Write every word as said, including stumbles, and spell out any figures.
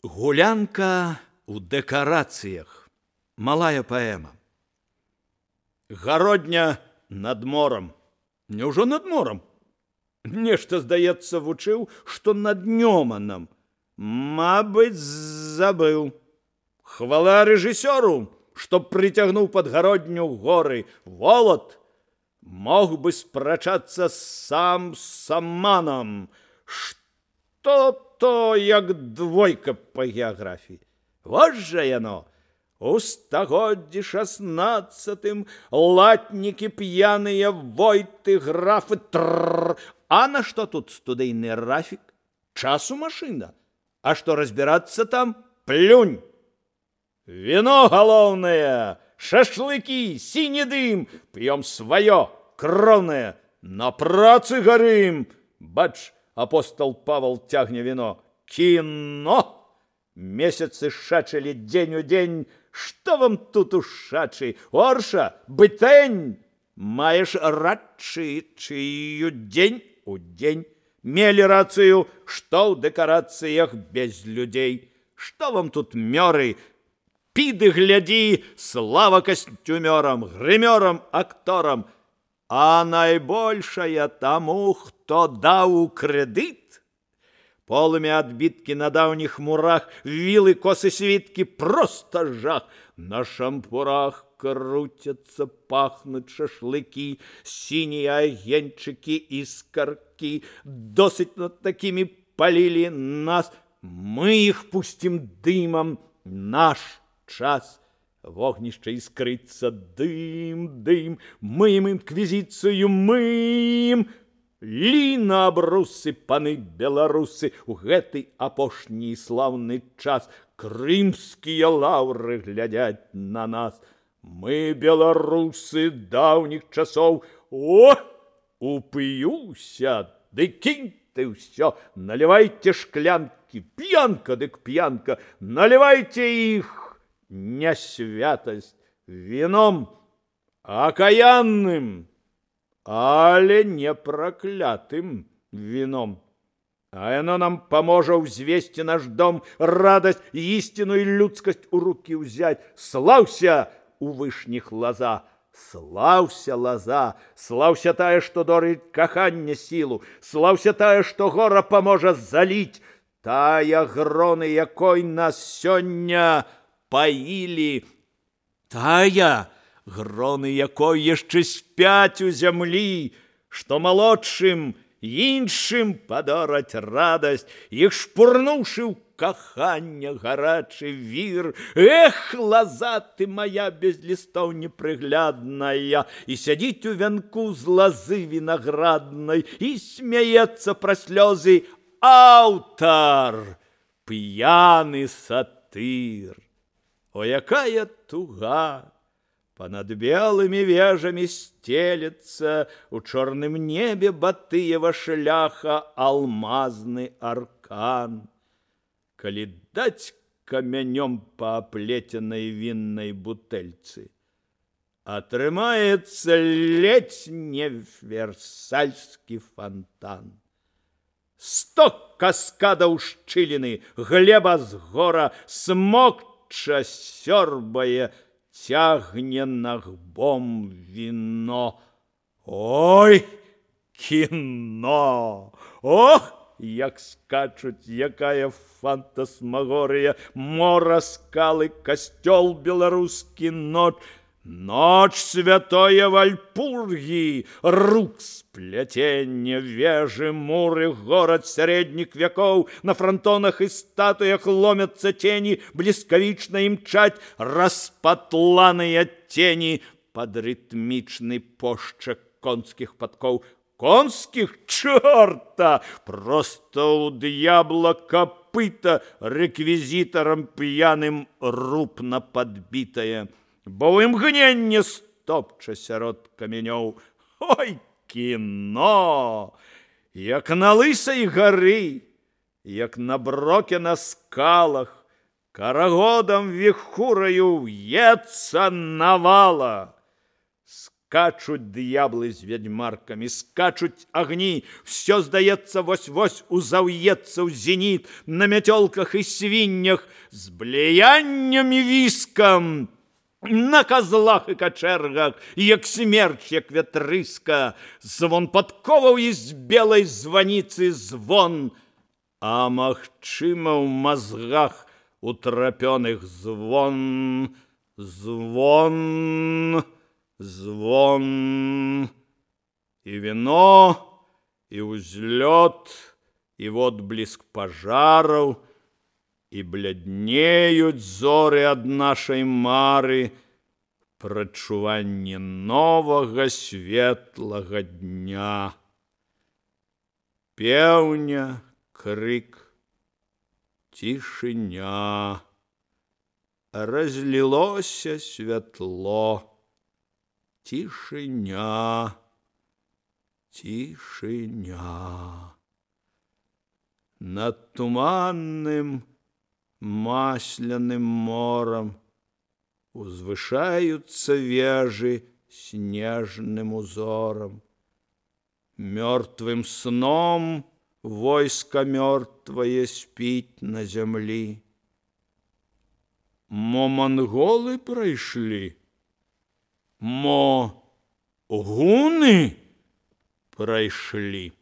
Гулянка у дэкарацыях. Малая паэма. Гародня над морам. Няўжо над морам? Нешта, здаецца, вучыў, што над Нёманам. Мабыць, забыў. Хвала рэжысёру, што прыцягнуў падгародню горы. Волат мог бы спрачацца сам з саманам. Што то як двойка па геаграфіі. Вось жа яно. У стагоддзі шаснаццатым латнікі п'яныя войты, графы, трррр. А на што тут студыйны рафік? Часу машына. А што разбірацца там? Плюнь. Віно галоўнае, шашлыкі, сіні дым. П'ём сваё, кроўнае. На працы гарым. Бач, апостол Павал цягне віно. Кіно! Месяцы шачылі дзень у дзень. Што вам тут ушачы? Орша, бытэнь! Маеш радчы, чыю дзень у дзень. Мелі рацыю, што ў дэкарацыях без людзей. Што вам тут мёры? Піды глядзі, слава касцюмёрам, грымёрам, акторам. А найбольшая таму, хто даў крэдыт. Полымя адбіткі на даўніх мурах, вілы, косы, світкі, проста жах. На шампурах круцяцца, пахнуць шашлыкі, сінія агеньчыкі і скаркі. Досыць над такімі палілі нас. Мы іх пусцім дымам. Наш час. Вогнішча іскрыцца, дым, дым. Мыем інквізіцыю, мыем. Ліна абрусы, паны беларусы, у гэты апошні слаўны час крымскія лаўры глядяць на нас. Мы, беларусы даўніх часоў, о, уп'юся, ды кінь ты ўсё, налівайце шклянкі, п'янка дык п'янка, налівайце іх, не святасць, віном акаянным, але не праклятым віном. А яно нам паможа ўзвесці наш дом, радасць, ісціну і людскасць у рукі ўзяць. Слаўся у вышніх лаза, слаўся лаза, слаўся тая, што дорыць кахання сілу, слаўся тая, што гора паможа заліць, тая, гроны якой нас сёння паілі, тая, гроны якой яшчэ спяць у зямлі, што малодшым, іншым падораць радасць, іх шпурнуўшы ў кахання гарачы вір. Эх, лаза ты моя без лістоў непрыглядная, і сядзіць у вянку з лазы вінаграднай, і смяецца пра слёзы аўтар, п'яны сатыр. О, якая туга! Понад белымі вежамі стелецца у чорным небе Батыева шляха алмазны аркан. Калі даць камянём па аплеценай віннай бутэльцы, атрымаецца ледзь не версальскі фонтан. Сто каскадаў шчыліны, глеба з гора, смокча сёрбае, цягне нагбом віно. Ой, кіно! Ох, як скачуць, якая фантасмагорыя, мора, скалы, касцёл беларускі, ноч, ноч святое Вальпургі, рук спляценне, вежы, муры, горад сярэдніх вякоў, на франтонах і статуях ломяцца цені, бліскавічна імчаць распатланыя тені пад рытмічны пошчак конскіх падкоў. Конскіх? Чорта! Проста ў д'ябла капыта рэквізітарам п'яным рупна падбітае, бо ў імгненне стопча сярод камянёў. Ой, кіно! Як на лысай гары, як на броке на скалах, карагодам віхураю в'ецца навала. З Скачуть д'яблы з вядьмаркамі, скачуць агні, все, здаецца, вось-вось узаўецца ў зеніт, на мяцёлках і свіннях, з блеяннем і віскам, на козлах і качэргах, як смерч, як вятрыска, звон падковаў і з белай званіцы звон, а магчыма ў мазгах утрапёных звон, звон, звон, і віно, і ўзлёт, і водбліск пажараў, і бляднеюць зоры ад нашай мары, прадчуванне новага светлага дня. Пеўня, крык, цішыня. Разлілося святло. Тишиня, тишиня. Над туманным масляным мором узвышаются вежи снежным узором. Мертвым сном войско мертвое спит на земли. Мо монголы пройшли? Мо гуны пройшли?